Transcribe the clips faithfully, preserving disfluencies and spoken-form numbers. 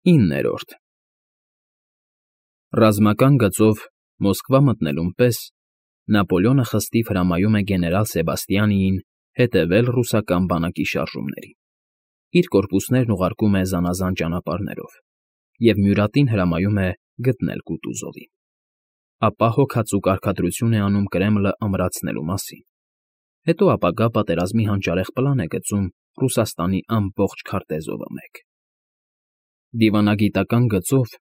Իններորդ Ռազմական գծով Մոսկվա մտնելուն պես Նապոլեոնը խստիվ հրամայում է գեներալ Սեբաստիանիին հետևել ռուսական բանակի շարժումներին, իր կորպուսներն ուղարկում է զանազան ճանապարհներով և Մյուրատին հրամայում է գտնել Կուտուզովին, ապա հոգածու կարգադրություն է անում Կրեմլը ամրացնելու մասին, հետո ապագա պատերազմի հանճարեղ պլան է գծում Ռուսաստանի ամբողջ քարտեզովը մեկ։ Դիվանագիտական գծով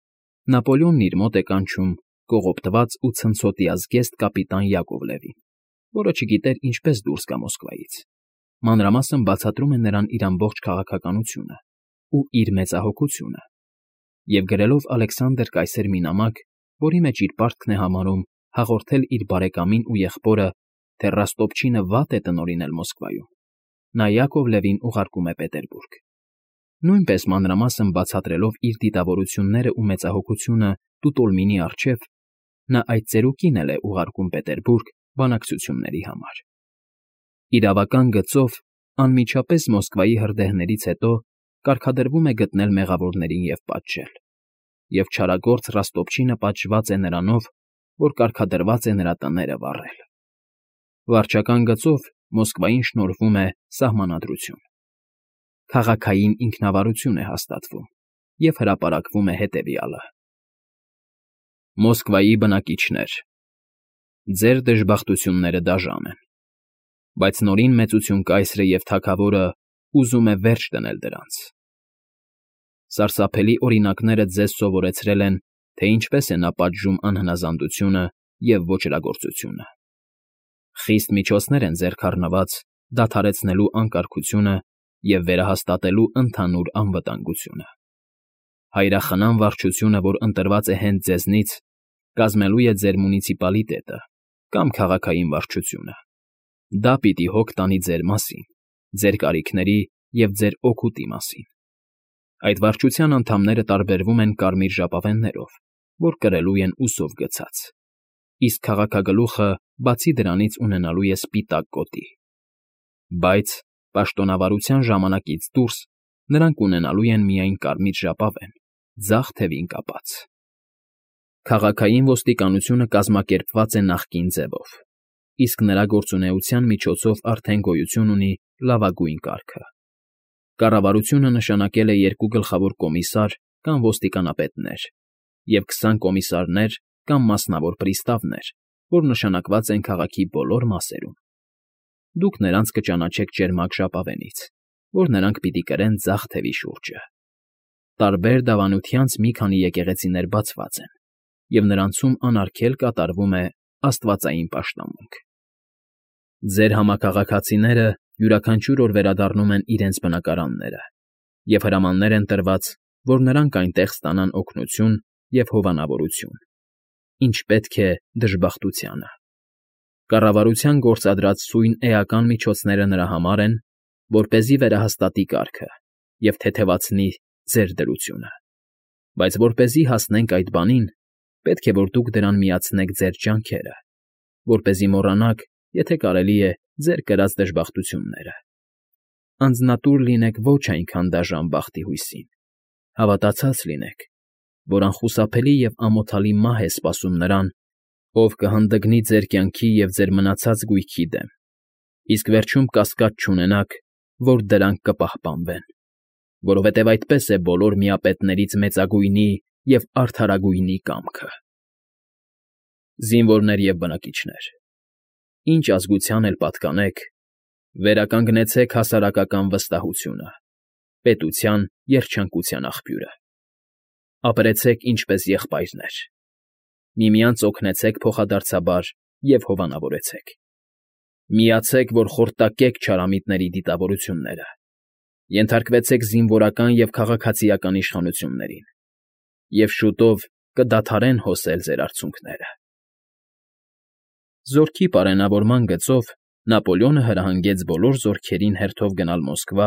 Նապոլեոնն իր մոտ է կանչում կողոպտված ու ցնցոտի ազգեստ կապիտան Յակովլևին, որը չգիտեր ինչպես դուրս գա Մոսկվայից, մանրամասն բացատրում է նրան իր ամբողջ քաղաքականությունը ու իր մեծահոգությունը, և գրելով Ալեքսանդր կայսեր մի նամակ, որի մեջ իր պարտքն է համարում հաղորդել իր բարեկամին ու եղբորը, թե Ռոստոպչինը վատ է տնօրինել Մոսկվայում, նա Յակովլևին ուղարկում է Պետերբուրգ։ Նույնպես մանրամասն բացատրելով իր դիտավորությունները ու մեծահոգությունը Տուտոլմինի առջև, նա այդ ծերուկին էլ է ուղարկում Պետերբուրգ բանակցությունների համար։ Իրավական գծով անմիջապես Մոսկվայի հրդեհներից հետո կարգադրվում է գտնել մեղավորներին և պատժել, և չարագործ Ռոստոպչինը պատժված է նրանով, որ կարգադրված է նրա տները վառել։ Վարչական գծով Մոսկվային շնորհվում է սահմանադրություն։ Քաղաքային ինքնավարություն է հաստատվում և հրապարակվում է հետևյալը. Մոսկվայի բնակիչներ, ձեր դժբախտությունները դաժան են, բայց Նորին Մեծություն կայսրը և թագավորը ուզում է վերջ դնել դրանց։ Սարսափելի օրինակները ձեզ սովորեցրել են, թե ինչպես է նա պատժում անհնազանդությունը և ոճրագործությունը։ Խիստ միջոցներ են ձեռք առնված դադարեցնելու անկարգությունը և վերահաստատելու ընդհանուր անվտանգությունը։ Հայրախնամ վարչությունը, որ ընտրված է հենց ձեզնից, կազմելու է ձեր մունիցիպալիտետը կամ քաղաքային վարչությունը։ Դա պիտի հոգ տանի ձեր մասին, ձեր կարիքների և ձեր օգուտի մասին։ Այդ վարչության անդամները տարբերվում են կարմիր ժապավեններով, որ կրելու են ուսով գցած, իսկ քաղաքագլուխը բացի դրանից ունենալու է սպիտակ գոտի։ Բայց պաշտոնավարության ժամանակից դուրս նրանք ունենալու են միայն կարմիր ժապավեն, ձախ թևին կապած։ Քաղաքային ոստիկանությունը կազմակերպված է նախկին ձևով, իսկ նրա գործունեության միջոցով արդեն գոյություն ունի լավագույն կարգը։ Կառավարությունը նշանակել է երկու գլխավոր կոմիսար կամ ոստիկանապետներ և քսան կոմիսարներ կամ մասնավոր պրիստավներ, որ նշանակված են քաղաքի բոլոր մասերում։ Դուք նրանց կճանաչեք ճերմակ ժապավենից, որ նրանք պիտի կրեն ձախ թևի շուրջը։ Տարբեր դավանությանց մի քանի եկեղեցիներ բացված են, և նրանցում անարգել կատարվում է աստվածային պաշտամունք։ Ձեր համաքաղաքացիները յուրաքանչյուր օր վերադառնում են իրենց բնակարանները, և հրամաններ են տրված, որ նրանք այնտեղ ստանան օգնություն և հովանավորություն, ինչ պետք է դժբախտությանը։ Կառավարության գործադրած սույն էական միջոցները նրա համար են, որպեսզի վերահաստատի կարգը և թեթևացնի ձեր դրությունը։ Բայց որպեսզի հասնենք այդ բանին, պետք է, որ դուք դրան միացնեք ձեր ջանքերը, որպեսզի մոռանաք, եթե կարելի է, ձեր կրած դժբախտությունները։ Անձնատուր լինեք ոչ այնքան դաժան բախտի հույսին, հավատացած լինեք, որ անխուսափելի և ամոթալի մահ է սպասում նրան, ով կհանդգնի ձեր կյանքի և ձեր մնացած գույքի դեմ, իսկ վերջում կասկած չունենաք, որ դրանք կպահպանվեն, որովհետև այդպես է բոլոր միապետներից մեծագույնի և արդարագույնի կամքը։ Զինվորներ և բնակիչներ, ինչ ազգության էլ պատկանեք, վերականգնեցեք հասարակական վստահությունը, պետության երջանկության աղբյուրը։ Ապրեցեք ինչպես եղբայրներ, միմյանց օգնեցեք փոխադարձաբար և հովանավորեցեք։ Միացեք, որ խորտակեք չարամիտների դիտավորությունները, ենթարկվեցեք զինվորական և քաղաքացիական իշխանություններին, և շուտով կդադարեն հոսել ձեր արցունքները։ Զորքի պարենավորման գծով Նապոլեոնը հրահանգեց բոլոր զորքերին հերթով գնալ Մոսկվա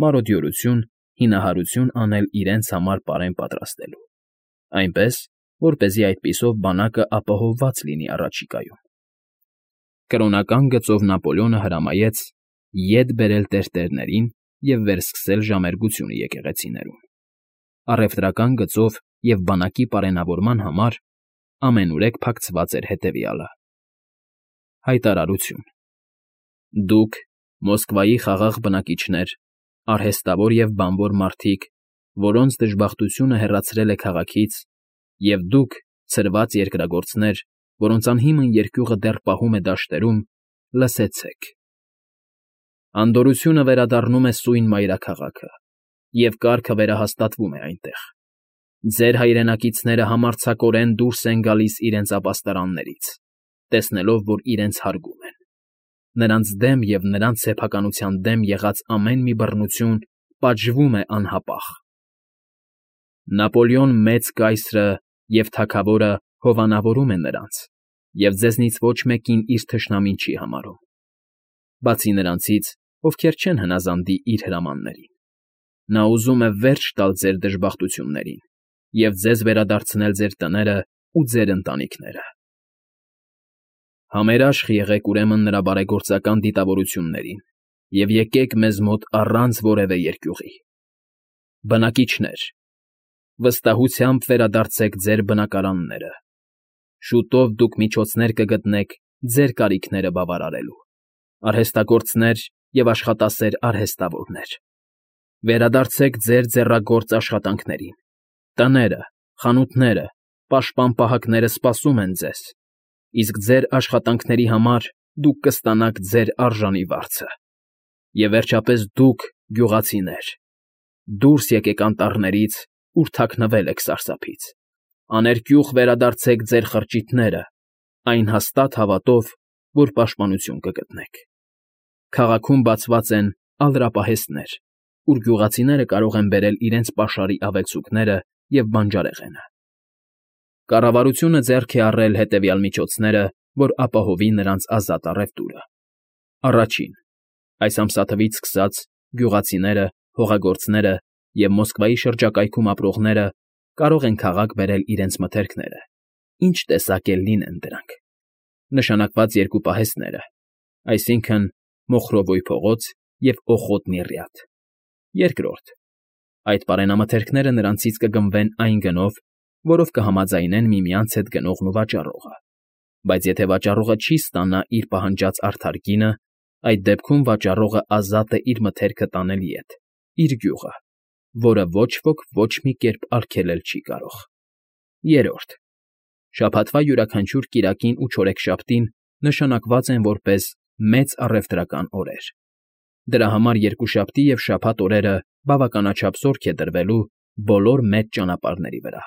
մարոդյորություն, հինահարություն անել իրենց համար պարեն պատրաստելու, այնպես, որպեսզի այդպիսով բանակը ապահովված լինի առաջիկայում։ Կրոնական գծով Նապոլեոնը հրամայեց ետ բերել տերտերներին և վերսկսել ժամերգությունը եկեղեցիներում։ առևտրական գծով և բանակի պարենավորման համար ամենուրեք փակցված էր հետևյալը. Հայտարարություն. Դուք, Մոսկվայի խաղաղ բնակիչներ, արհեստավոր և բանվոր մարդիկ, որոնց դժբախտությունը հեռացրել է քաղաքից, և դուք, ցրված երկրագործներ, որոնց անհիմն երկյուղը դեռ պահում է դաշտերում, լսեցեք. Անդորրությունը վերադառնում է սույն մայրաքաղաքը, և կարգը վերահաստատվում է այնտեղ. ձեր հայրենակիցները համարձակորեն դուրս են գալիս իրենց ապաստարաններից, տեսնելով, որ իրենց հարգում են. նրանց դեմ և նրանց սեփականության դեմ եղած ամեն մի բռնություն պատժվում է անհապաղ. Նապոլեոն Մեծ կայսրը և թագավորը հովանավորում է նրանց և ձեզնից ոչ մեկին իր թշնամին չի համարում, բացի նրանցից, ովքեր չեն հնազանդի իր հրամաններին. նա ուզում է վերջ տալ ձեր դժբախտություններին և ձեզ վերադարձնել ձեր տները ու ձեր ընտանիքները. Համերաշխ եղեք ուրեմն նրա բարեգործական դիտավորություններին և եկեք մեզ մոտ առանց որևէ երկյուղի. Բնակիչներ, վստահությամբ վերադարձեք ձեր բնակարանները. շուտով դուք միջոցներ կգտնեք ձեր կարիքները բավարարելու. արհեստագործներ և աշխատասեր արհեստավորներ, վերադարձեք ձեր ձեռագործ աշխատանքներին. տները, խանութները, պաշտպան֊պահակները սպասում են ձեզ, իսկ ձեր աշխատանքների համար դուք կստանաք ձեր արժանի վարձը. և վերջապես դուք, գյուղացիներ, դուրս եկեք անտառներից, ուր թաքնվել եք սարսափից, աներկյուղ վերադարձեք ձեր խրճիթները, այն հաստատ հավատով, որ պաշտպանություն կգտնեք. քաղաքում բացված են ալրապահեստներ, ուր գյուղացիները կարող են բերել իրենց պաշարի ավելցուկները և բանջարեղենը. Կառավարությունը ձեռք է առել հետևյալ միջոցները, որ ապահովի նրանց ազատ առևտուրը. Առաջին. այս ամսաթվից սկսած գյուղացիները, հողագործները և Մոսկվայի շրջակայքում ապրողները կարող են քաղաք բերել իրենց մթերքները, ինչ տեսակ էլ լինեն դրանք. նշանակված երկու պահեստները, այսինքն Մոխրովոյ փողոց և Օխոտնի ռյադ. երկրորդ. այդ պարենամթերքները նրանցից կգնվեն այն գնով, որով կհամաձայնեն միմյանց հետ գնողն ու վաճառողը, բայց եթե վաճառողը չի ստանա իր պահանջած արդար գինը, այդ դեպքում վաճառողը ազատ է իր մթերքը տանել ետ, իր գյուղը, որը ոչ ոք ոչ մի կերպ արգելել չի կարող. երրորդ. շաբաթվա յուրաքանչյուր կիրակին ու չորեքշաբթին նշանակված են որպես մեծ առևտրական օրեր. դրա համար երկուշաբթի և շաբաթ օրերը բավականաչափ զորք է դրվելու բոլոր մեծ ճանապարհների վրա,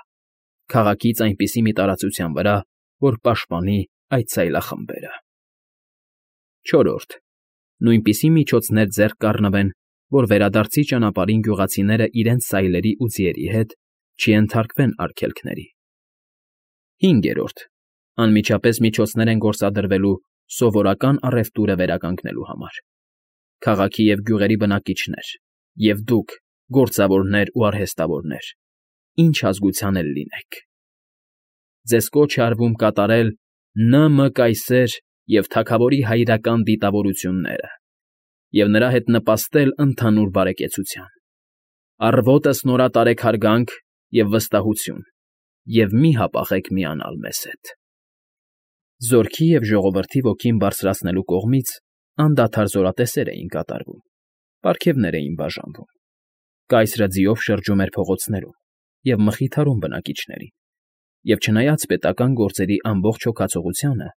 քաղաքից այնպիսի մի տարածության վրա, որ պաշտպանի այդ սայլախմբերը. չորրորդ. նույնպիսի միջոցներ ձեռք կառնվեն, որ վերադարձի ճանապարհին գյուղացիները իրենց սայլերի ու ձիերի հետ չենթարկվեն արգելքների. հինգերորդ. անմիջապես միջոցներ են գործադրվելու սովորական առևտուրը վերականգնելու համար. քաղաքի և գյուղերի բնակիչներ, և դուք, գործավորներ ու արհեստավորներ, ինչ ազգության էլ լինեք. ձեզ կոչ է արվում կատարել Նը Մը կայսեր և թագավորի հայրական դիտավորությունները և նրա հետ նպաստել ընդհանուր բարեկեցության. առվոտս նորատարեք հարգանք և վստահություն և մի հապաղեք միանալ մեզ հետ. Զորքի և ժողովրդի ոգին բարձրացնելու կողմից անդադար զորատեսեր էին կատարվում, պարգևներ էին բաժանվում, կայսրը ձիով շրջում էր փողոցներում և մխիթարում բնակիչներին, և չնայած պետական գործերի ամբողջ հոգացողությանը,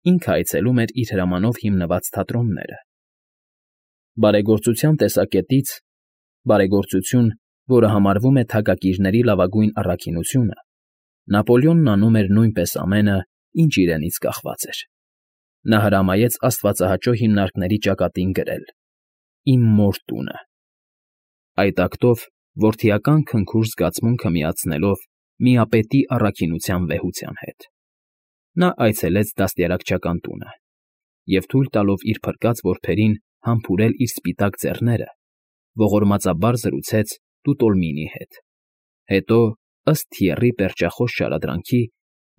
ինքը այցելում էր իր հրամանով հիմնված թատրոնները. բարեգործության տեսակետից բարեգործություն, որը համարվում է թագակիրների լավագույն առաքինությունը, Նապոլեոնն անում էր նույնպես ամենը, ինչ իրենից կախված էր. նա հրամայեց աստվածահաճո հիմնարկների ճակատին գրել. «Իմ մոր տունը»։ Այդ ակտով որդիական քնքուշ զգացմունքը միացնելով միապետի առաքինության վեհության հետ, նա այցելեց դաստիարակչական տունը և թույլ տալով իր փրկած որբերին համբուրել իր սպիտակ ձեռները, ողորմածաբար զրուցեց Տուտոլմինի հետ, հետո, ըստ Թիերի պերճախոս շարադրանքի,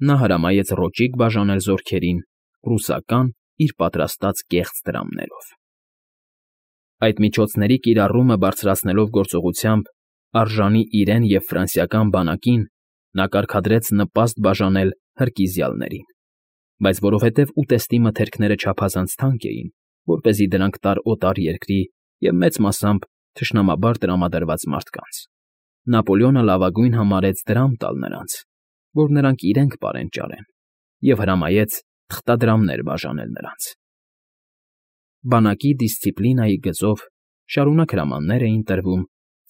նա հրամայեց ռոճիկ բաժանել զորքերին ռուսական իր պատրաստած կեղծ տրամներով։ Այդ միջոցների կիրառումը բարձրացնելով գործողությամբ Արժանի իրեն և ֆրանսիական բանակին նա կարգադրեց նպաստ բաժանել հրկիզյալներին, բայց որովհետև ուտեստի մթերքները չափազանց թանկ էին, որպեսզի դրանք տար օտար երկրի և մեծ մասամբ թշնամաբար տրամադրված մարդկանց, Նապոլեոնը լավագույն համարեց դրամ տալ նրանց, որ նրանք իրենք պարեն֊ճարեն, և հրամայեց թղթադրամներ բաժանել նրանց։ Բանակի դիսցիպլինայի գծով շարունակ հրամաններ էին տրվում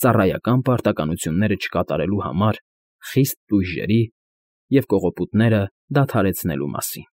ծառայական պարտականությունները չկատարելու համար խիստ տույժերի և կողոպուտները դադարեցնելու մասին։